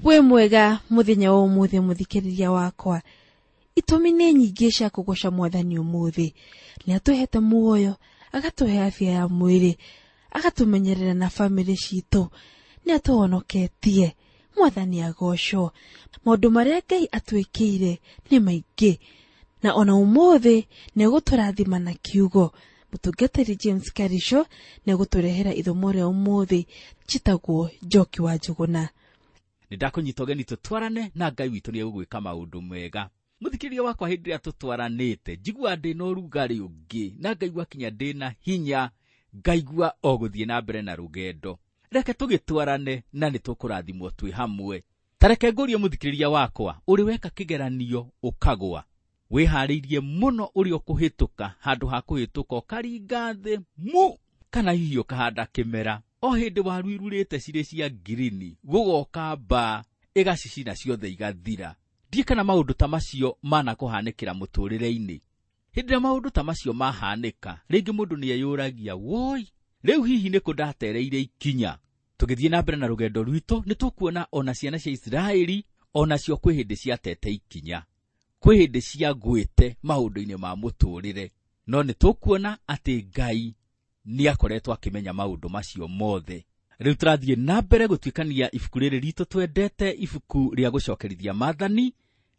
Wĩ mwega mũthenya wa ũmũthĩ mũthikĩrĩria wakwa. Itũmi nĩ nyingĩ cia kũgoca mwathani ũmũthĩ. Nĩ atũhete muoyo, agatũhe afya ya mwĩrĩ, agatũmenyerera na bamĩrĩ citũ, nĩ atũhonoketie. Mwathani agocwo. Maũndũ marĩa Ngai atwĩkĩire nĩ maingĩ, na ona ũmũthĩ nĩ egũtũrathima na kiugo. Mũtungatĩri James Karisho nĩ egũtũrehera ithomo rĩa ũmũthĩ. Njĩtagwo Njoki wa Njũgũna. Nĩ ndakũnyita ũgeni tũtwarane na Ngai witũ nĩ egũgwĩka maũndũ mega. Mũthikĩrĩria wakwa, hĩndĩ ĩrĩa tũtwaranĩte njiguaga ndĩna ũrugarĩ ũngĩ, na ngaigua kinya ndĩna hinya, ngaigua o gũthiĩ na mbere na rũgendo. Reke tũgĩtwarane na nĩ tũkũrathimwo twĩ hamwe. Ta reke ngũrie mũthikĩrĩria wakwa, ũrĩ weka kĩgeranio ũkagwa, wĩharĩirie mũno ũrĩa ũkũhĩtũka, handũ ha kũhĩtũka ũkaringa thĩ mu, kana hihi ũkahanda kĩmera o hĩndĩ waru irurĩte cirĩ cia ngirini, gũgoka mbaa ĩgacicina ciothe igathira. Ndiĩ kana maũndũ ta macio manakũhanĩkĩra mũtũrĩre-inĩ. Hĩndĩ ĩrĩa maũndũ ta macio mahanĩka, rĩngĩ mũndũ nĩ eyũragia, woi, rĩu hihi nĩkũ ndatereire ikinya? Tũgĩthiĩ na mbere na rũgendo rwitũ, nĩ tũkuona ona ciana cia Isiraeli onacio kwĩ hĩndĩ ciatete ikinya, kwĩ hĩndĩ ciagwĩte maũndũ-inĩ ma mũtũrĩre. No nĩ tũkuona atĩ Ngai nĩ akoretwo akĩmenya maũndũ macio mothe. Rĩu tũrathiĩ na mbere gũtuĩkania ibuku rĩrĩ ritũ twendete, ibuku rĩa gũcokerithia maathani,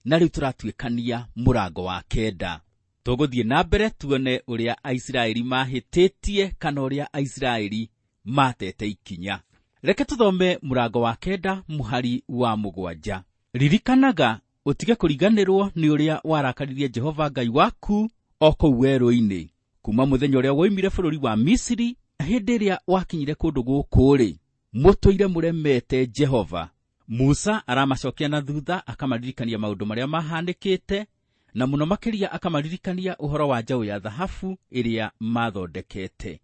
na rĩu tũratuĩkania mũrango wa 9. Tũgũthiĩ na mbere tuone ũrĩa Aisiraeli mahĩtĩtie kana ũrĩa Aisiraeli matete ikinya. Reke tũthome mũrango wa 9 mũhari wa 7. Ririkanaga ũtige kũriganĩrwo nĩ ũrĩa warakaririe Jehova Ngai waku o kũu werũ-inĩ, kuma mũthenya ũrĩa woimire bũrũri wa Misiri, hĩndĩ ĩrĩa wakinyire kũndũ gũkũ-rĩ, mũtũire mũremete Jehova. Musa aramacokia na thutha, akamaririkania maũndũ marĩa mahanĩkĩte, na mũno makĩria akamaririkania ũhoro wa njaũ ya thahabu ĩrĩa mathondekete.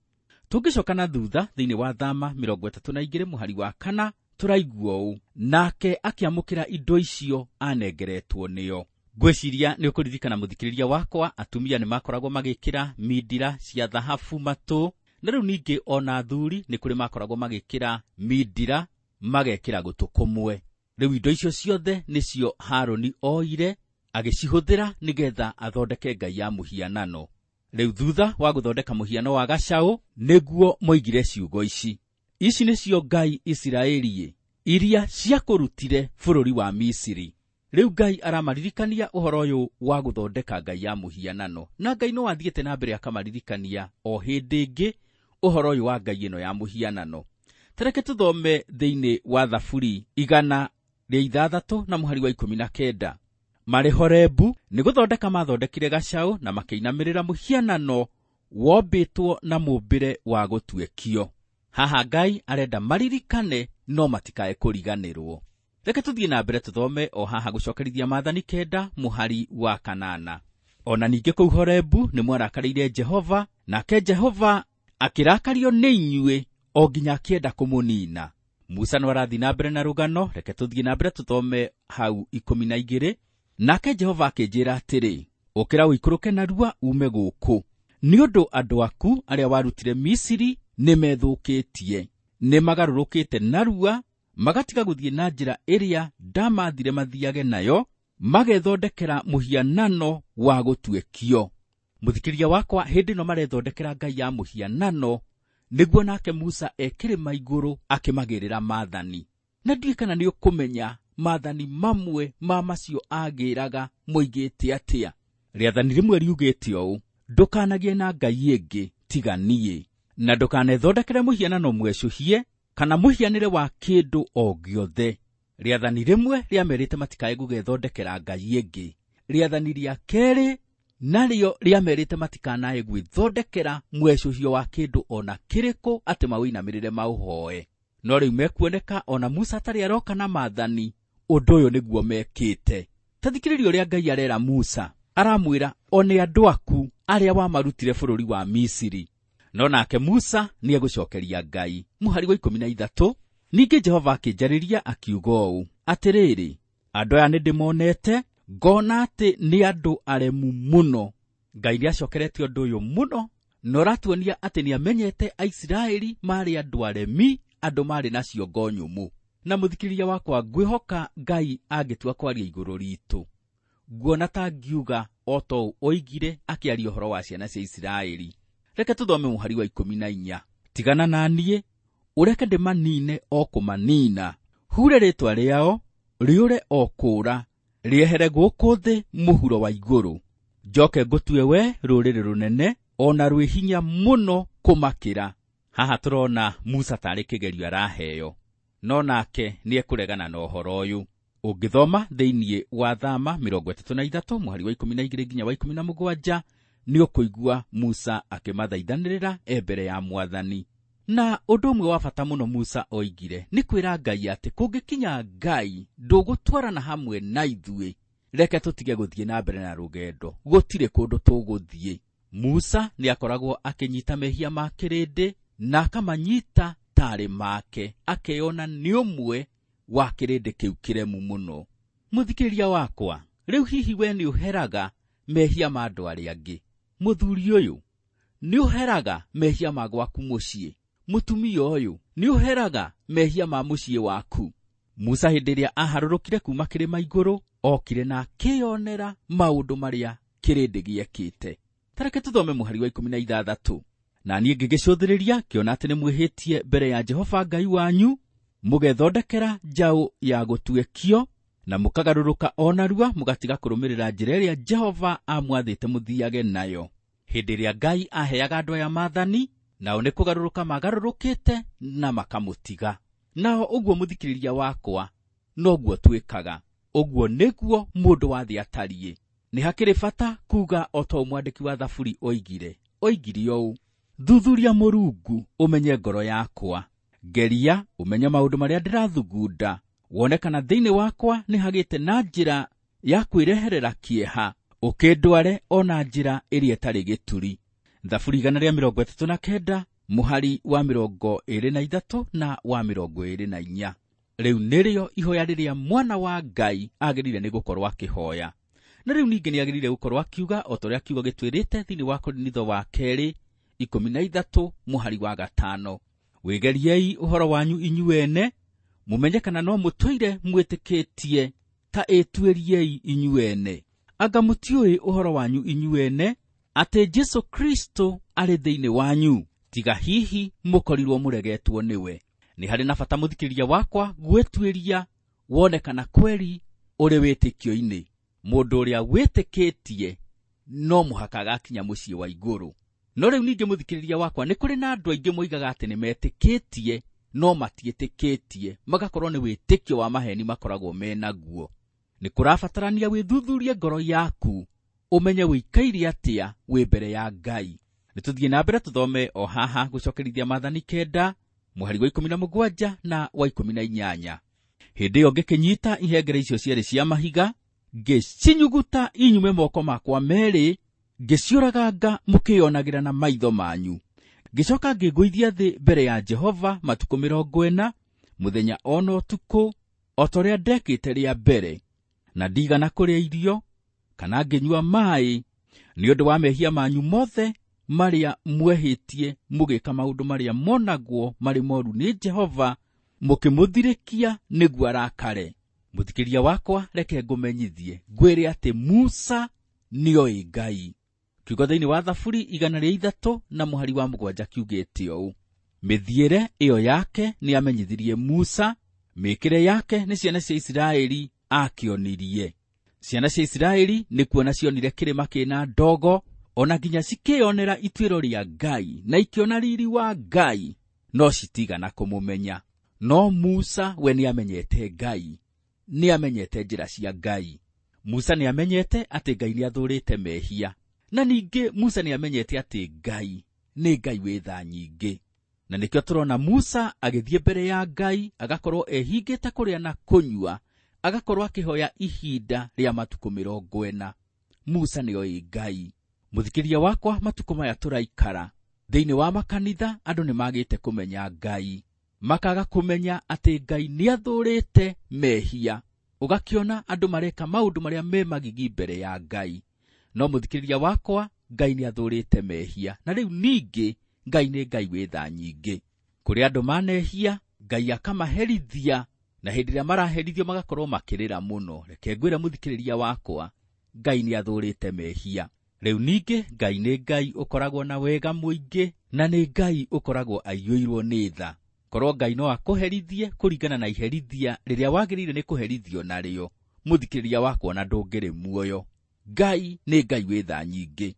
Tũngĩcoka na thutha thĩinĩ wa Thama 32 mũhari wa 4, tũraigua ũũ, nake akĩamũkĩra indo icio anengeretwo nĩo. Ngwĩciria nĩ ũkũririkana mũthikĩrĩria wakwa, atumia nĩ makoragwo magĩkĩra mindira cia thahabu matũ, na rĩu ningĩ ona athuri nĩ kũrĩ makoragwo magĩkĩra mindira magekĩra gũtũ kũmwe. Rĩu indo icio ciothe nĩcio Harũni oire agĩcihũthĩra nĩgetha athondeke ngai ya mũhianano. Rĩu thutha wa gũthondeka mũhiano wa gacaũ, nĩguo moigire ciugo ici, ici nĩcio ngai Isiraeli iria ciakũrutire bũrũri wa Misiri. Rĩu Ngai aramaririkania ũhoro ũyũ wa gũthondeka ngai ya mũhianano, na Ngai no athiĩte na mbere akamaririkania o hĩndĩ ĩngĩ ũhoro ũyũ wa ngai ĩno ya mũhianano. Ta reke tũthome thĩinĩ wa Thaburi 106 na mũhari wa 19. Marĩ Horebu nĩ gũthondeka mathondekire gacaũ na makĩinamĩrĩra mũhianano wombĩtwo na mũmbĩre wa gũtuĩkio. Haha Ngai arenda maririkane no matikae kũriganĩrwo. Reke tũthiĩ na mbere tũthome o haha gũcokerithia maathani 9 mũhari wa 8. Ona ningĩ kũu Horebu nĩ mwarakarĩire Jehova, nake Jehova akĩrakario nĩ inyuĩ o nginya akĩenda kũmũnina. Musa no arathiĩ na mbere na rũgano, reke tũthiĩ na mbere tũthome hau 12. Nake Jehova akĩnjĩra atĩrĩ, ũkĩra ũikũrũke narua ume gũkũ, nĩ ũndũ andũ aku arĩa warutire Misiri nĩmethũkĩtie, nĩmagarũrũkĩte narua, magatiga gũthiĩ na njĩra ĩrĩa ndamathire mathiage nayo, magethondekera mũhianano wa gũtuĩkio. Mũthikĩrĩria wakwa, hĩndĩ ĩno marethondekera ngai ya mũhianano, nĩguo nake Musa e kĩrĩma igũrũ akĩmagĩrĩra maathani. Na ndiũĩ kana nĩ ũkũmenya maathani mamwe ma macio agĩraga moigĩte atĩa. Rĩathani rĩmwe riugĩte ũũ, ndũkanagĩe na ngai ĩngĩ tiga niĩ, na ndũkanethondekere mũhianano mwecũhie kana mũhianĩre wa kĩndũ o gĩothe. Rĩathani rĩmwe rĩamerĩte matikae gũgethondekera ngai ĩngĩ. Rĩathani rĩa kerĩ narĩo rĩamerĩte matikanae gwĩthondekera mwecũhio wa kĩndũ ona kĩrĩkũ atĩ maũinamĩrĩre maũhoe. No rĩu mekuoneka ona Musa atarĩ aroka na maathani, ũndũ ũyũ nĩguo mekĩte. Ta thikĩrĩria ũrĩa Ngai arera Musa, aramwĩra one andũ aku arĩa wamarutire bũrũri wa Misiri. No nake Musa nĩ egũcokeria Ngai. Mũhari wa 13, ningĩ Jehova akĩnjarĩria akiuga ũũ, atĩrĩrĩ, andũ aya nĩndĩmonete, ngona atĩ nĩ andũ aremu mũno. Ngai nĩacokeretie ũndũ ũyũ mũno, na ũratuonia atĩ nĩamenyete Aisiraeli marĩ andũ aremi, andũ marĩ na ciongo nyũmũ. Na mũthikĩrĩria wakwa, ngwĩhoka Ngai angĩtua kwaria igũrũ ritũ, nguona ta ngiuga o ta ũũ oigire akĩaria ũhoro wa ciana cia Isiraeli. Reke tũthome mũhari wa 14. Tigana na niĩ, ũreke ndĩmanine o kũmanina, hure rĩĩtwa rĩao rĩũre o kũũra, rĩehere gũkũ thĩ mũhuro wa igũrũ. Njoke ngũtue we rũrĩrĩ rũnene o na rwĩ hinya mũno kũmakĩra. Haha tũrona Musa tarĩ kĩgerio araheo, no nake nĩekũregana na ũhoro ũyũ. Ũngĩthoma thĩinĩ wa Thama 33 mũhari wa 12 nginya wa 17, nĩũkũigua Musa akĩmathaithanĩrĩra e mbere ya Mwathani. Na ũndũ ũmwe wa bata mũno Musa oigire nĩ kwĩra Ngai atĩ kũngĩkinya Ngai ndũgũtwarana hamwe na ithuĩ, reke tũtige gũthiĩ na mbere na rũgendo, gũtirĩ kũndũ tũgũthiĩ. Musa nĩakoragwo akĩnyita mehia ma kĩrĩndĩ na akamanyita tarĩ make, akeyona nĩ ũmwe wa kĩrĩndĩ kĩu kĩremu mũno. Mũthikĩrĩria wakwa, rĩu hihi we nĩũheraga mehia ma andũ arĩa angĩ? Mũthuri ũyũ, nĩũheraga mehia ma gwaku mũciĩ? Mũtumia ũyũ, nĩũheraga mehia ma mũciĩ waku? Musa hĩndĩ ĩrĩa aharũrũkire kuma kĩrĩma igũrũ, okire na akĩyonera maũndũ marĩa kĩrĩndĩ gĩekĩte. Tareke tũthome mũhari wa 16. Na niĩ ngĩgĩcũthĩrĩria ngĩona atĩ nĩmwĩhĩtie mbere ya Jehova Ngai wanyu, mũgethondekera njaũ ya gũtuĩkio, na mũkagarũrũka o narua mũgatiga kũrũmĩrĩra njĩra ĩrĩa Jehova amwathĩte mũthiage nayo. Hĩndĩ ĩrĩa Ngai aheaga andũ aya maathani, nao nĩ kũgarũrũka magarũrũkĩte na makamũtiga. Nao ũguo mũthikĩrĩria wakwa, noguo twĩkaga. Ũguo nĩguo mũndũ wa thĩ atariĩ. Nĩ hakĩrĩ bata kuga o ta ũũ mwandĩki wa Thaburi oigire. Oigire ũũ: thuthuria Mũrungu ũmenye ngoro yakwa, ngeria ũmenye maũndũ marĩa ndĩrathugunda, wone kana thĩinĩ wakwa nĩ hagĩte na njĩra ya kwĩreherera kĩeha, ũkĩndware o na njĩra ĩrĩa ĩtarĩ gĩturi. Thaburi 139 mũhari wa 23 na wa 24. Rĩu nĩrĩo ihoya rĩrĩa mwana wa Ngai agĩrĩire nĩ gũkorwo akĩhoya. Na rĩu ningĩ nĩagĩrĩire gũkorwo akiuga o ta ũrĩa kiugo gĩtwĩrĩte thĩinĩ wa Korinitho wa kerĩ 13 mũhari wa 5. Wĩgeriei ũhoro wanyu inyuene, mũmenye kana no mũtũire mwĩtĩkĩtie, ta ĩtuĩriei inyuene. Anga mũtiũĩ ũhoro wanyu inyuene atĩ Jesũ Kristo arĩ thĩinĩ wanyu, tiga hihi mũkorirwo mũregetwo nĩwe. Nĩ harĩ na bata mũthikĩrĩria wakwa gwĩtuĩria wone kana kweri ũrĩ wĩtĩkio-inĩ. Mũndũ ũrĩa wĩtĩkĩtie no mũhaka agakinya mũciĩ wa igũrũ. No rĩu ningĩ mũthikĩrĩria wakwa, nĩ kũrĩ na andũ aingĩ moigaga atĩ nĩmetĩkĩtie no matiĩtĩkĩtie, magakorwo nĩ wĩtĩkio wa maheni makoragwo menaguo. Nĩ kũrabatarania wĩthuthurie ngoro yaku, ũmenye wĩikaire atĩa wĩ mbere ya Ngai. Nĩ tũthiĩ na mbere tũthome o haha gũcokerithia maathani 9 mũhari wa 17 na wa 18. Hĩndĩ ĩyo ngĩkĩnyita ihengere icio cierĩ cia mahiga, ngĩcinyuguta inyume moko makwa merĩ, ngĩciũraganga mũkĩyonagĩra na maitho manyu. Ngĩcoka ngĩgũithia thĩ mbere ya Jehova matukũ 40, mũthenya o na ũtukũ, o ta ũrĩa ndekĩte rĩa mbere, na ndigana kũrĩa irio kana ngĩnyua maaĩ, nĩ ũndũ wa mehia manyu mothe marĩa mwehĩtie mũgĩka maũndũ marĩa monagwo marĩ moru nĩ Jehova, mũkĩmũthirĩkia nĩguo arakare. Mũthikĩria wakwa, reke ngũmenyithie ngwĩre atĩ Musa nĩoĩ Ngai. Kiugo thĩinĩ wa Thaburi 103 na mũhari wa 7 kiugĩte ũũ: mĩthiĩre ĩyo yake nĩamenyithirie Musa, mĩĩkĩre yake nĩ ciana cia Isiraeli akĩonirie. Ciana cia Isiraeli nĩ kuona cionire kĩrĩma kĩna ndogo, ona nginya cikĩyonera ituĩro rĩa Ngai na ikĩona riri wa Ngai, no citigana kũmũmenya. No Musa we nĩamenyete Ngai, nĩamenyete njĩra cia Ngai. Musa nĩamenyete atĩ Ngai nĩathũrĩte mehia, na ningĩ Musa nĩamenyete atĩ Ngai nĩ Ngai wĩ tha nyingĩ. Na nĩkĩo tũrona Musa agĩthiĩ mbere ya Ngai, agakorwo ehingĩte kũrĩa na kũnyua, agakorwo akĩhoya ihinda rĩa matukũ 40. Musa nĩoĩ Ngai. Mũthikĩria wakwa, matukũ maya tũraikara thĩinĩ wa makanitha, andũ nĩmagĩte kũmenya Ngai, makaga kũmenya atĩ Ngai nĩathũrĩte mehia. Ũgakĩona andũ mareka maũndũ marĩa me magigi mbere ya Ngai. No mũthikĩrĩria wakwa, Ngai nĩathũrĩte mehia, na rĩu ningĩ Ngai nĩ Ngai wĩ tha nyingĩ. Kũrĩ andũ manehia, Ngai akamaherithia Na hĩndĩ ĩrĩa maraherithio magakorwo makĩrĩra mũno. Reke ngwĩre mũthikĩrĩria wakwa, Ngai nĩ athũrĩte mehia. Rĩu ningĩ Ngai nĩ Ngai ũkoragwo na wega mũingĩ, na nĩ Ngai ũkoragwo aiyũirwo nĩ tha. Korwo Ngai no akũherithie kũringana na iherithia rĩrĩa wagĩrĩire nĩ kũherithio narĩo, mũthikĩrĩria wakwa ona ndũngĩrĩ muoyo. Ngai nĩ Ngai wĩ tha nyingĩ.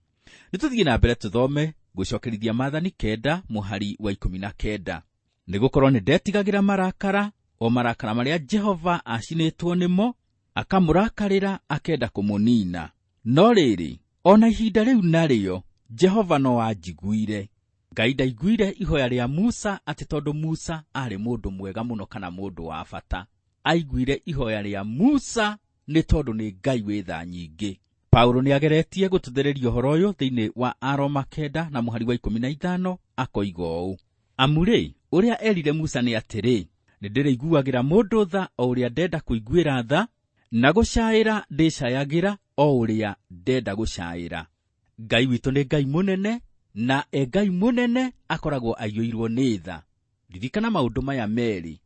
Nĩ tũthiĩ na mbere tũthome gũcokerithia maathani 9 mũhari wa 19. Nĩgũkorwo nĩ ndetigagĩra marakara, o marakara marĩa Jehova acinĩtwo nĩmo, akamũrakarĩra akenda kũmũnina. No rĩrĩ, ona ihinda rĩu narĩo, Jehova no anjiguire. Ngai ndaiguire ihoya rĩa Musa atĩ tondũ Musa aarĩ mũndũ mwega mũno kana mũndũ wa bata. Aiguire ihoya rĩa Musa nĩ tondũ nĩ Ngai wĩ tha nyingĩ. Paulo nĩ ageretie gũtũthereria ũhoro ũyũ thĩinĩ wa Aroma 9 na mũhari wa 15 akoiga ũũ: Amu rĩ, ũrĩa erire Musa nĩ atĩrĩ, nĩ ndĩrĩiguagĩra mũndũ tha o ũrĩa ndenda kũiguĩra tha, na gũcaĩra ndĩcayagĩra o ũrĩa ndenda gũcaĩra. Ngai witũ nĩ Ngai mũnene, na e Ngai mũnene akoragwo aiyũirwo nĩ tha. Ririkana maũndũ maya merĩ: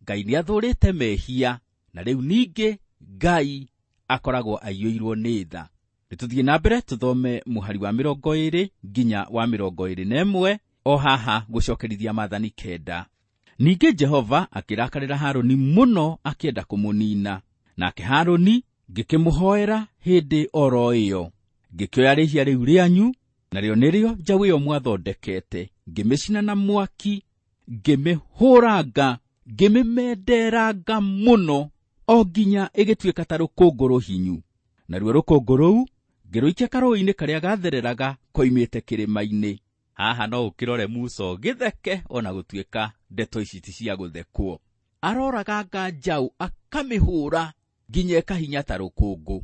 Ngai nĩ athũrĩte mehia, na rĩu ningĩ Ngai akoragwo aiyũirwo nĩ tha. Nĩ tũthiĩ na mbere tũthome mũhari wa 20 nginya wa 21 o haha gũcokerithia maathani 9. Ningĩ Jehova akĩrakarĩra Harũni mũno akĩenda kũmũnina. Nake Harũni ngĩkĩmũhoera hĩndĩ oro ĩyo. Ngĩkĩoya rĩhia rĩu rĩanyu, narĩo nĩrĩo njaũ ĩyo mwathondekete, ngĩmĩcina na mwaki, ngĩmĩhũranga, ngĩmĩmenderanga mũno, o nginya ĩgĩtuĩka ta rũkũngũ rũhinyu. Naruo rũkũngũ rũu ngĩrũikia karũũĩ-inĩ karĩa gathereraga koimĩte kĩrĩma-inĩ. Haha no ũkĩrore Musa ũgĩtheke ona gũtuĩka ndeto ici ti cia gũthekwo. Aroraganga njaũ akamĩhũra nginya ĩkahinya ta rũkũngũ.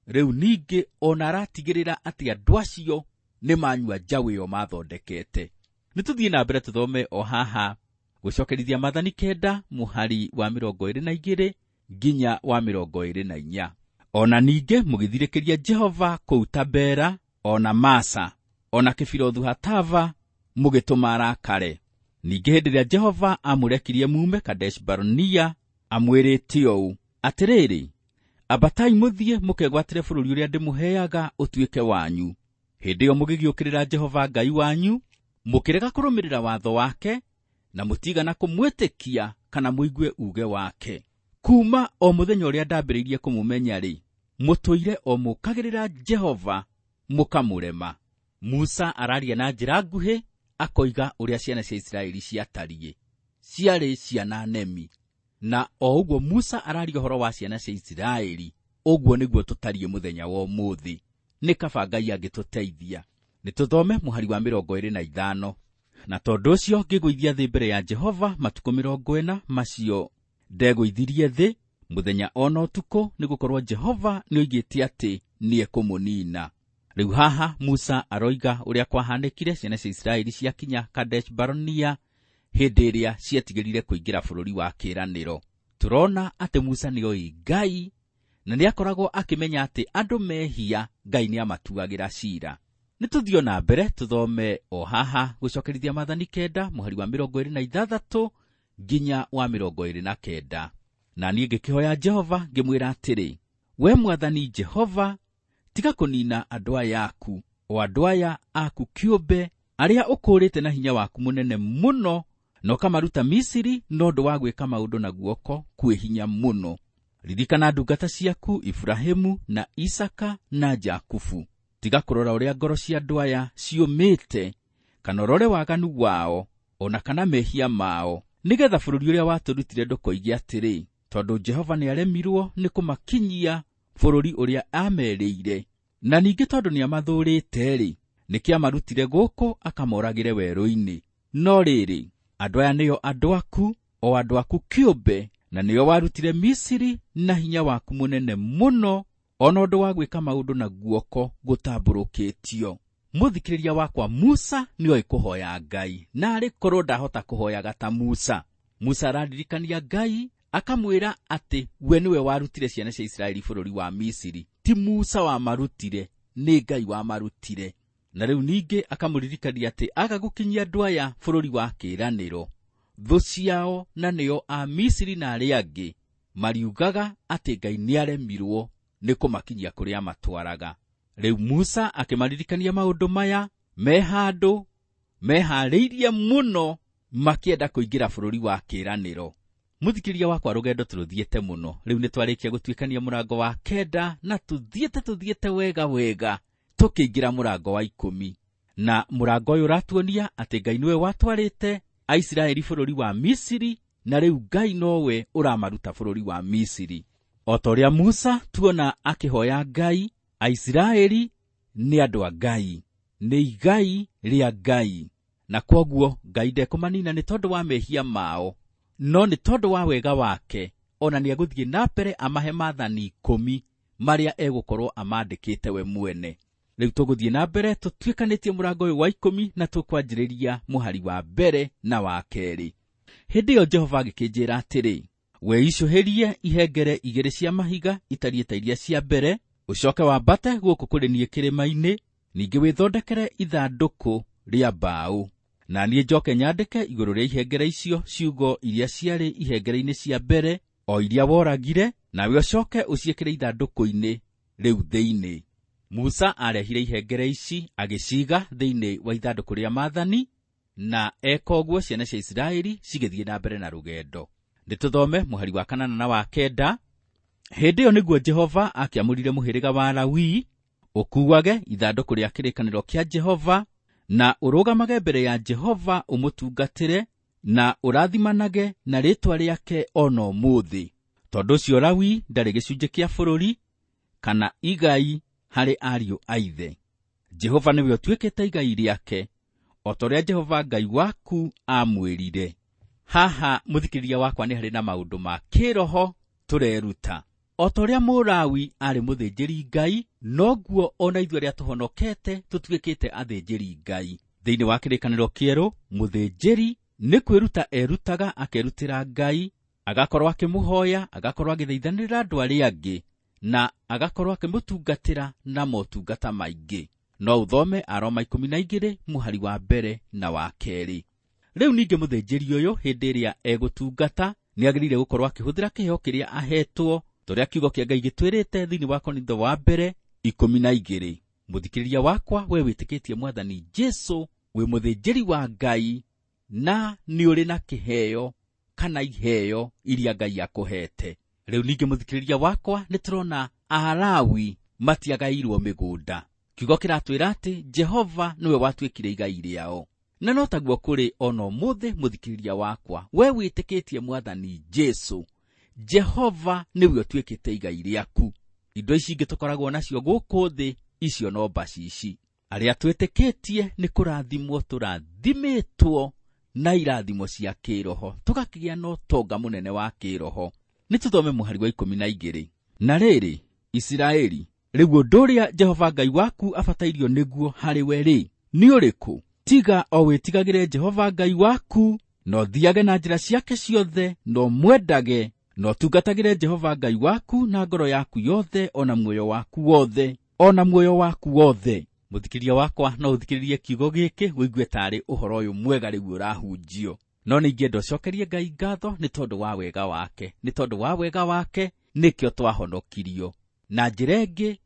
Rĩu ningĩ ona aratigĩrĩra atĩ andũ acio nĩ manyua njaũ ĩyo mathondekete. Nĩ tũthiĩ na mbere tũthome o haha gũcokerithia maathani 9 mũhari wa 22 nginya wa 24. Ona ningĩ mũgĩthirĩkĩria Jehova kũu Tabera, ona Masa, ona Kĩbirothu Hatava, mũgĩtũma arakare. Ningĩ hĩndĩ ĩrĩa Jehova amũrekirie mume Kadesh Barnea, amwĩrĩte ũũ: Atĩrĩrĩ, ambatai mũthiĩ mũkegwatĩre bũrũri ũrĩa ndĩmũheaga ũtuĩke wanyu. Hĩndĩ ĩyo mũgĩgĩũkĩrĩra Jehova Ngai wanyu, mũkĩrega kũrũmĩrĩra watho wake, na mũtigana kũmwĩtĩkia kana mũigue uuge wake. Kuuma o mũthenya ũrĩa ndambĩrĩirie kũmũmenya-rĩ, mũtũire o mũkagĩrĩra Jehova mũkamũrema. Musa araria na njĩra nguhĩ akoiga ũrĩa ciana cia Isiraeli ciatariĩ. Ciarĩ ciana nemi. Na o ũguo Musa araria ũhoro wa ciana cia Isiraeli, ũguo nĩguo tũtariĩ mũthenya wa ũmũthĩ. Nĩ kaba Ngai angĩtũteithia. Nĩ tũthome mũhari wa 25. Na tondũ ũcio ngĩgũithia thĩ mbere ya Jehova matukũ 40 macio ndegũithirie thĩ mũthenya ona ũtukũ, nĩgũkorwo Jehova nĩoigĩte atĩ nĩekũmũnina. Rĩu haha Musa aroiga ũrĩa kwahanĩkire ciana cia Isiraeli ciakinya Kadesh Barnea hĩndĩ ĩrĩa cietigĩrire kũingĩra bũrũri wa kĩĩranĩro. Tũrona atĩ Musa nĩoĩ Ngai na nĩakoragwo akĩmenya atĩ andũ mehia Ngai nĩamatuagĩra ciira. Nĩ tũthiĩ na mbere tũthome o haha gũcokerithia maathani 9 mũhari wa 26 nginya wa 29. Na niĩ ngĩkĩhoya Jehova ngĩmwĩra atĩrĩ, we Mwathani Jehova, tiga kũnina andũ aya aku, o andũ aya aku kĩũmbe, arĩa ũkũũrĩte na hinya waku mũnene mũno, na ũkamaruta Misiri na ũndũ wa gwĩka maũndũ na guoko kwĩ hinya mũno. Ririkana ndungata ciaku Iburahĩmu na Isaka na Jakubu. Tiga kũrora ũrĩa ngoro cia andũ aya ciũmĩte, kana ũrore waganu wao, ona kana mehia mao, nĩgetha bũrũri ũrĩa watũrutire ndũkoige atĩrĩ, tondũ Jehova nĩaremirwo nĩ kũmakinyia bũrũri ũrĩa aamerĩire. Na ningĩ tondũ nĩamathũũrĩte-rĩ, nĩkĩamarutire gũkũ akamoragĩre werũ-inĩ. No rĩrĩ, andũ aya nĩo andũ aku, o andũ aku kĩũmbe, na nĩo warutire Misiri na hinya waku mũnene mũno, ona ũndũ wa gwĩka maũndũ na guoko gũtambũrũkĩtio. Mũthikĩrĩria wakwa, Musa nĩoĩ kũhoya Ngai, na arĩ korwo ndahota kũhoyaga ta Musa. Musa araririkania Ngai akamwĩra atĩ we nĩwe warutire ciana cia Isiraeli bũrũri wa Misiri. Ti Musa wamarutire, nĩ Ngai wamarutire. Na rĩu ningĩ akamũririkania atĩ aga gũkinyia andũ aya bũrũri wa kĩĩranĩro, thũ ciao na nĩo a Misiri na arĩa angĩ Mariugaga atĩ Ngai nĩaremirwo nĩ kũmakinyia kũrĩa matwaraga. Rĩu Musa akĩmaririkania maũndũ maya me handũ meharĩirie mũno makĩenda kũingĩra bũrũri wa kĩĩranĩro. Mũthikĩria wakwa, rũgendo tũrũthiĩte mũno. Rĩu nĩtwarĩkia gũtuĩkania mũrango wa 9 na tũthiĩte wega wega tũkĩingĩra mũrango wa 10. Na mũrango ũyũ ũratuonia atĩ Ngai nĩwe watwarĩte Aisiraeli bũrũri wa Misiri, na rĩu Ngai nowe ũramaruta bũrũri wa Misiri. O ta ũrĩa Musa tuona akĩhoya Ngai, Aisiraeli nĩ andũ a Ngai, nĩ igai rĩa Ngai, na kwoguo Ngai ndekũmanina nĩ tondũ wa mehia mao, no nĩ tondũ wa wega wake ona nĩegũthiĩ na mbere amahe maathani 10 marĩa egũkorwo amandĩkĩte we mwene. Rĩu tũgũthiĩ na mbere tũtuĩkanĩtie mũrango ũyũ wa 10 na tũkwanjĩrĩria mũhari wa 1 na wa 2. Hĩndĩ ĩyo Jehova agĩkĩnjĩra atĩrĩ, wĩicũhĩrie ihengere 2 cia mahiga itariĩ ta iria cia mbere, ũcoke wambate gũkũ kũrĩ niĩ kĩrĩma-inĩ, ningĩ wĩthondekere ithandũkũ rĩa mbaũ. Na niĩ njoke nyandĩke igũrũ rĩa ihengere icio ciugo iria ciarĩ ihengere-inĩ cia mbere, o iria woragire, nawe ũcoke ũciĩkĩre ithandũkũ-inĩ rĩu thĩinĩ. Musa arehire ihengere ici agĩciiga thĩinĩ wa ithandũkũ rĩa maathani, na eka ũguo ciana cia Isiraeli cigĩthiĩ na mbere na rũgendo. Nĩtũthome mũhari wa 8 na wa 9. Hĩndĩ ĩyo nĩguo Jehova akĩamũrire mũhĩrĩga wa Lawi ũkuuage ithandũkũ rĩa kĩrĩkanĩro kĩa Jehova, na ũrũgamage mbere ya Jehova ũmũtungatĩre, na ũrathimanage na rĩĩtwa rĩake ona ũmũthĩ. Tondũ ũcio Lawi ndarĩ gĩcunjĩ kĩa bũrũri kana igai harĩ ariũ a ithe. Jehova nĩwe ũtuĩkĩte igai rĩake, o ta ũrĩa Jehova Ngai waku aamwĩrire. Haha mũthikĩrĩria wakwa nĩ harĩ na maũndũ ma kĩroho tũreruta. O ta ũrĩa Mũlawi aarĩ mũthĩnjĩri Ngai, noguo ona ithuĩ arĩa tũhonokete tũtuĩkĩte athĩnjĩri Ngai. Thĩinĩ wa kĩrĩkanĩro kĩerũ, mũthĩnjĩri nĩ kwĩruta erutaga akerutĩra Ngai, agakorwo akĩmũhoya, agakorwo agĩthaithanĩrĩra andũ arĩa angĩ, na agakorwo akĩmũtungatĩra na motungata maingĩ. No ũthome Aroma 12 mũhari wa 1 na wa 2. Rĩu ningĩ mũthĩnjĩri ũyũ hĩndĩ ĩrĩa egũtungata nĩagĩrĩire gũkorwo akĩhũthĩra kĩheo kĩrĩa ahetwo, torĩa kiugo kĩa Ngai gĩtwĩrĩte thĩinĩ wa Korintho wa mbere 12. Mũthikĩrĩria wakwa, we wĩtĩkĩtie Mwathani Jesũ, wĩ mũthĩnjĩri wa Ngai, na nĩ ũrĩ na kĩheo kana iheo iria Ngai akũhete. Rĩu ningĩ mũthikĩrĩria wakwa, nĩ tũrona Alawi matiagairwo mĩgũnda. Kiugo kĩratwĩra atĩ Jehova nĩwe watuĩkire igai rĩao. Na no taguo kũrĩ ona ũmũthĩ mũthikĩrĩria wakwa, we wĩtĩkĩtie Mwathani Jesũ, Jehova nĩwe ũtuĩkĩte igai rĩaku. Indo ici ingĩ tũkoragwo nacio gũkũ thĩ, icio no mbacici. Arĩa twĩtĩkĩtie nĩ kũrathimwo tũrathimĩtwo na irathimo cia kĩroho, tũgakĩgĩa na ũtonga mũnene wa kĩroho. Nĩ tũthome mũhari wa 12. Na rĩrĩ, Isiraeli, rĩu ũndũ ũrĩa Jehova Ngai waku abatairio nĩguo harĩ we rĩ, nĩ ũrĩkũ? Tiga o wĩtigagĩre Jehova Ngai waku, na ũthiage na njĩra ciake ciothe, na ũmwendage, na ũtungatagĩre Jehova Ngai waku na ngoro yaku yothe, ona muoyo waku wothe, ona muoyo waku wothe. Mũthikĩrĩria wakwa, no ũthikĩrĩrie kiugo gĩkĩ ũigue tarĩ ũhoro ũyũ mwega rĩu ũrahunjio. No ningĩ ũcokerie Ngai ngatho nĩ tondũ wa wega wake, nĩ tondũ wa wega wake nĩkĩo twahonokirio. Na njĩra ĩngĩ,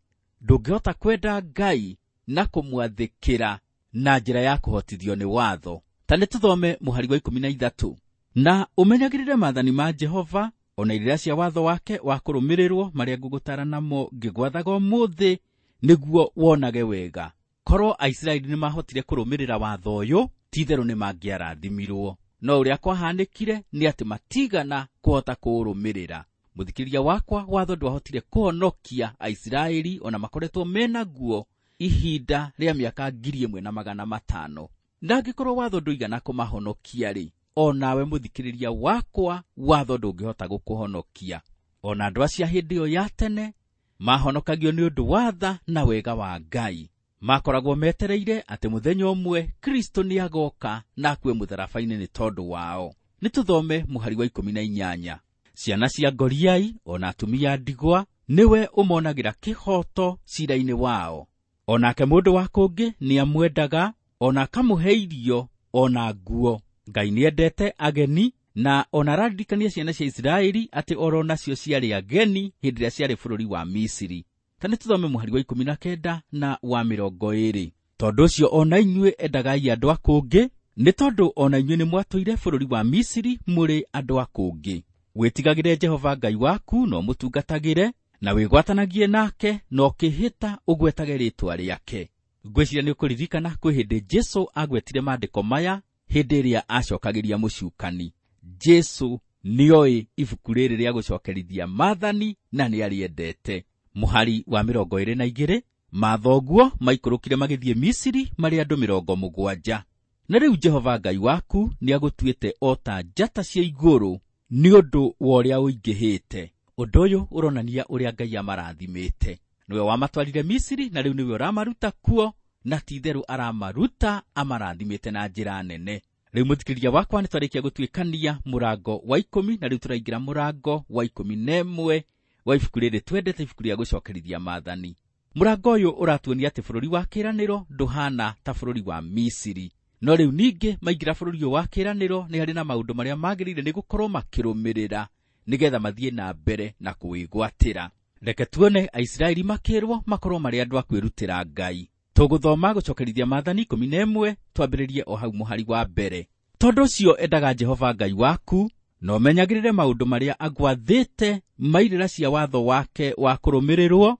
ndũngĩhota kwenda Ngai na kũmwathĩkĩra na njĩra ya kũhotithio nĩ watho. Ta nĩ tũthome mũhari wa 13. Na ũmenyagĩrĩre maathani ma Jehova, ona irĩra cia watho wake wa kũrũmĩrĩrwo marĩa ngũgũtaara namo ngĩgwathaga ũmũthĩ, nĩguo wonage wega. Korwo Aisiraeli nĩmahotire kũrũmĩrĩra watho ũyũ, ti-itherũ nĩmangĩarathimirwo. No ũrĩa kwahanĩkire nĩ atĩ matigana kũhota kũũrũmĩrĩra. Mũthikĩrĩria wakwa, watho ndwahotire kũhonokia Aisiraeli ona makoretwo mena guo ihinda rĩa mĩaka 1500. Na angĩkorwo watho ndũigana kũmahonokia rĩ, onawe mũthikĩrĩria wakwa, watho ndũngĩhota gũkũhonokia. Ona andũ acio a hĩndĩ ĩyo ya tene mahonokagio nĩ ũndũ wa tha na wega wa Ngai. Makoragwo metereire atĩ mũthenya ũmwe Kristo nĩagoka na akue mũtharaba-inĩ nĩ tondũ wao. Nĩ tũthome mũhari wa 18. Ciana cia ngoriai ona atumia ndigwa nĩwe ũmonagĩra kĩhoto cira-inĩ wao. Onake mũndũ wa kũngĩ nĩamwendaga, ona akamũhe irio ona nguo. Ngai nĩendete ageni Na ona araririkania ciana cia Isiraeli atĩ oro nacio ciarĩ ageni hĩndĩ ĩrĩa ciarĩ bũrũri wa Misiri. Ta nĩ tũthome mũhari wa 19 na wa 20. Tondũ ũcio ona inyuĩ endagai andũ a kũngĩ, nĩ tondũ ona inyuĩ nĩ mwatũire bũrũri wa Misiri mũrĩ andũ a kũngĩ. Wĩtigagĩre Jehova Ngai waku na ũmũtungatagĩre, na wĩgwatanagie nake na ũkĩhĩta ũgwetage rĩĩtwa rĩake. Ngwĩciria nĩ ũkũririkana kwĩ hĩndĩ Jesũ agwetire maandĩko maya hĩndĩ ĩrĩa acokagĩria mũcukani. Jesũ nĩoĩ ibuku rĩrĩ rĩa gũcokerithia maathani na nĩarĩendete. Mũhari wa 22, mathoguo maikũrũkire magĩthiĩ Misiri marĩ andũ 70. Na rĩu Jehova Ngai waku nĩagũtuĩte o ta njata cia igũrũ nĩ ũndũ wa ũrĩa ũingĩhĩte. Ũndũ ũyũ ũronania ũrĩa Ngai amarathimĩte. Nĩwe wamatwarire Misiri na rĩu nĩwe ũramaruta kuo, na ti-itherũ aramaruta amarathimĩte na njĩra nene. Rĩu mũthikĩrĩria wakwa nĩ twarĩkia gũtuĩkania mũrango wa 10 na rĩu tũraingĩra mũrango wa 11 wa ibuku rĩrĩ twendete, ibuku rĩa gũcokerithia maathani. Mũrango ũyũ ũratuonia atĩ bũrũri wa kĩĩranĩro ndũhana ta bũrũri wa Misiri. No rĩu ningĩ maingĩra bũrũri ũyũ wa kĩĩranĩro nĩ harĩ na maũndũ marĩa magĩrĩire nĩ gũkorwo makĩrũmĩrĩra nĩgetha mathiĩ na mbere na kũwĩgwatĩra. Reke tuone Aisiraeli makĩrwo makorwo marĩ andũ a kwĩrutĩra Ngai. Tũgũthoma gũcokerithia maathani 11 twambĩrĩrie o hau mũhari wa mbere. Tondũ ũcio endaga Jehova Ngai waku na ũmenyagĩrĩre maũndũ marĩa agwathĩte mairĩra cia watho wake wa kũrũmĩrĩrwo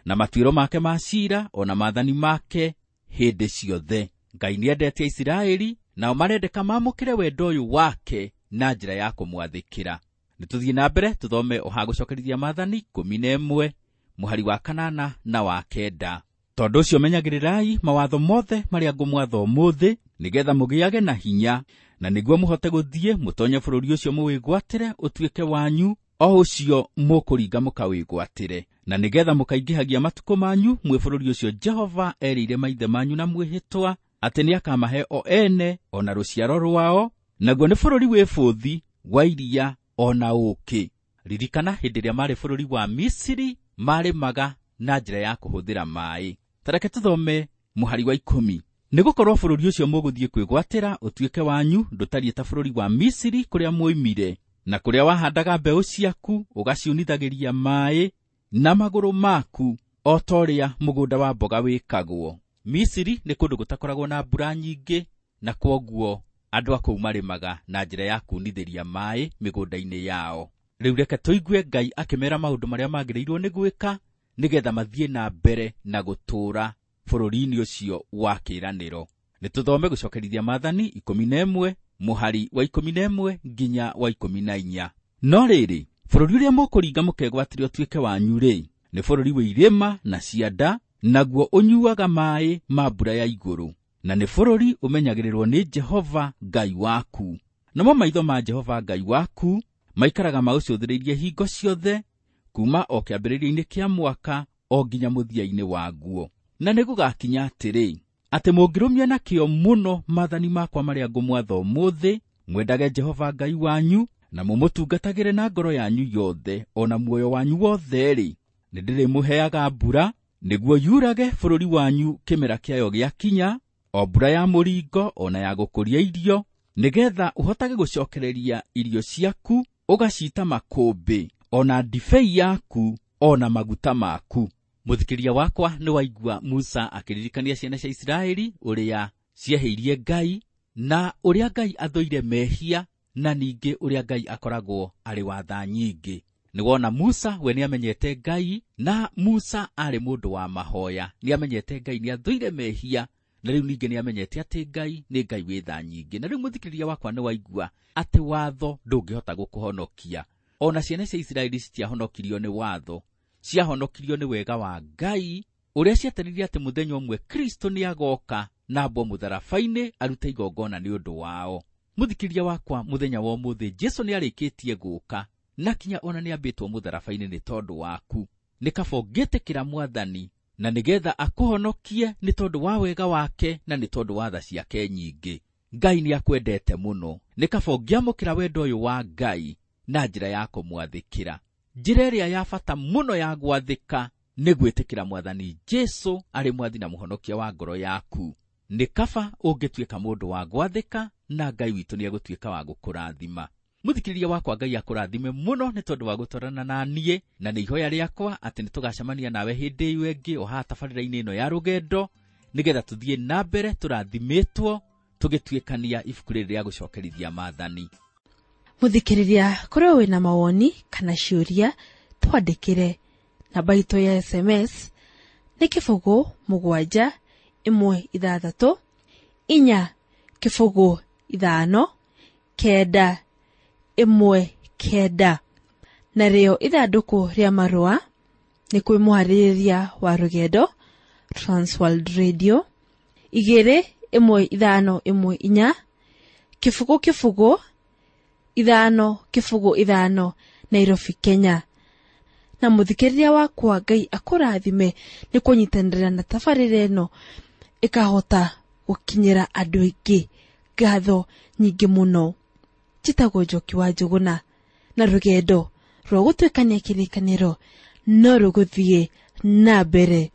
na matuĩro make ma ciira o na maathani make hĩndĩ ciothe. Ngai nĩendete Isiraeli nao marendeka maamũkĩre wendo ũyũ wake na njĩra ya kũmwathĩkĩra. Nĩtũthiĩ na mbere tũthome o ha gũcokerithia maathani 11 mũhari wa 8 na wa 9. Tondũ ũcio menyagĩrĩrai mawatho mothe marĩa ngũmwatha ũmũthĩ nĩgetha mũgĩage na hinya, na nĩguo mũhote gũthiĩ mũtonye bũrũri ũcio mũwĩgwatĩre ũtuĩke wanyu, o ũcio mũkũringa mũkawĩgwatĩre, na nĩgetha mũkaingĩhagia matukũ manyu mwĩ bũrũri ũcio Jehova erĩire maithe manyu na mwĩhĩtwa atĩ nĩakamahe o ene o na rũciaro rwao, naguo nĩ bũrũri wĩ bũthi wa iria o na ũũkĩ. Ririkana hĩndĩ ĩrĩa marĩ bũrũri wa Misiri marĩmaga na njĩra ya kũhũthĩra maaĩ. Ta reke tũthome mũhari wa 10. Nĩgũkorwo bũrũri ũcio mũgũthiĩ kwĩgwatĩra ũtuĩke wanyu ndũtariĩ ta bũrũri wa Misiri kũrĩa mwoimire, na kũrĩa wahandaga mbeũ ciaku ũgaciunithagĩria maaĩ na magũrũ maku o ta ũrĩa mũgũnda wa mboga wĩkagwo. Misiri nĩ kũndũ gũtakoragwo na mbura nyingĩ, na kwoguo andũ a kũu marĩmaga na njĩra ya kuunithĩria maaĩ mĩgũnda-inĩ yao. Rĩu reke tũigue Ngai akĩmera maũndũ marĩa magĩrĩirwo nĩ gwĩka nĩgetha mathiĩ na mbere na gũtũũra bũrũri-inĩ ũcio wa kĩĩranĩro. Nĩtũthome gũcokerithia maathani 11 mũhari wa 11 nginya wa 14. No rĩrĩ, bũrũri ũrĩa mũkũringa mũkegwatĩre ũtuĩke wanyu rĩ, nĩ bũrũri wĩ irĩma na cianda, naguo ũnyuaga maaĩ ma mbura ya igũrũ, na nĩ bũrũri ũmenyagĩrĩrwo nĩ Jehova Ngai waku. Namo maitho ma Jehova Ngai waku maikaraga maũcũthĩrĩirie hingo ciothe, kuma o kĩambĩrĩria-inĩ kĩa mwaka o nginya mũthia-inĩ waguo. Na nĩgũgakinya atĩrĩ, atĩ mũngĩrũmia na kĩyo mũno maathani makwa marĩa ngũmwatha ũmũthĩ, mwendage Jehova Ngai wanyu na mũmũtungatagĩre na ngoro yanyu yothe o na muoyo wanyu wothe-rĩ, nĩndĩrĩmũheaga mbura nĩguo yurage bũrũri wanyu kĩmera kĩayo gĩakinya, o mbura ya mũringo o na ya gũkũria irio, nĩgetha ũhotage gũcokereria irio ciaku ũgaciita makũmbĩ, o na ndibei yaku o na maguta maku. Mũthikĩria wakwa nĩ waigua Musa akĩririkania ciana cia Isiraeli ũrĩa ciehĩirie Ngai na ũrĩa Ngai athũire mehia, na ningĩ ũrĩa Ngai akoragwo arĩ wa tha nyingĩ. Nĩwona Musa we nĩamenyete Ngai, na Musa arĩ mũndũ wa mahoya, nĩamenyete Ngai nĩathũire mehia, na rĩu ningĩ nĩamenyete atĩ Ngai nĩ Ngai wĩ tha nyingĩ. Na rĩu mũthikĩrĩria wakwa nĩ waigua atĩ watho ndũngĩhota gũkũhonokia. Ona ciana cia Isiraeli citiahonokirio nĩ watho, ciahonokirio nĩ wega wa Ngai ũrĩa ciatarĩria atĩ mũthenya ũmwe Kristo nĩagoka na ambwo mũtharaba-inĩ arute igongona nĩ ũndũ wao. Mũthikĩrĩria wakwa, mũthenya wa ũmũthĩ Jesũ nĩarĩkĩtie gũka na kinya ona nĩambĩtwo mũtharaba-inĩ nĩ tondũ waku. Nĩ kaba ũngĩtĩkĩra Mwathani na nĩgetha akũhonokie nĩ tondũ wa wega wake na nĩ tondũ wa tha ciake nyingĩ. Ngai nĩakwendete mũno. Nĩ kaba ũngĩamũkĩra wendo ũyũ wa Ngai na njĩra ya kũmwathĩkĩra. Njĩra ĩrĩa ya bata mũno ya gwathĩka nĩ gwĩtĩkĩra Mwathani Jesũ arĩ mwathi na mũhonokia wa ngoro yaku. Nĩ kaba ũngĩtuĩka mũndũ wa gwathĩka na Ngai witũ nĩegũtuĩka wa gũkũrathima. Mũthikĩrĩria wakwa, Ngai akũrathime mũno nĩ tondũ wa gũtwarana na niĩ, na nĩ ihoya rĩakwa atĩ nĩ tũgacemania nawe hĩndĩ ĩyo ĩngĩ o haha tabarĩra-inĩ ĩno ya rũgendo, nĩgetha tũthiĩ na mbere tũrathimĩtwo tũgĩtuĩkania ibuku rĩrĩ rĩa gũcokerithia maathani. Mũthikĩrĩria, korwo wĩna mawoni kana ciũria, twandĩkĩre. Namba itũ ya SMS nĩ 0 7 1 6 4 0 5 9 1 9. Narĩo ithandũkũ rĩa marũa nĩ kwĩ mũharĩrĩria wa rũgendo Transworld Radio 2 1 5 1 4 0 0 5 0 5 Nairobi, Kenya. Na mũthikĩrĩria wakwa, Ngai akũrathime nĩ kũnyitanĩra na tabarĩra ĩno ĩkahota gũkinyĩra andũ aingĩ. Ngatho nyingĩ mũno. Njĩtagwo Njoki wa Njũgũna, na rũgendo rwa gũtuĩkania kĩrĩkanĩro no rũgũthiĩ na mbere.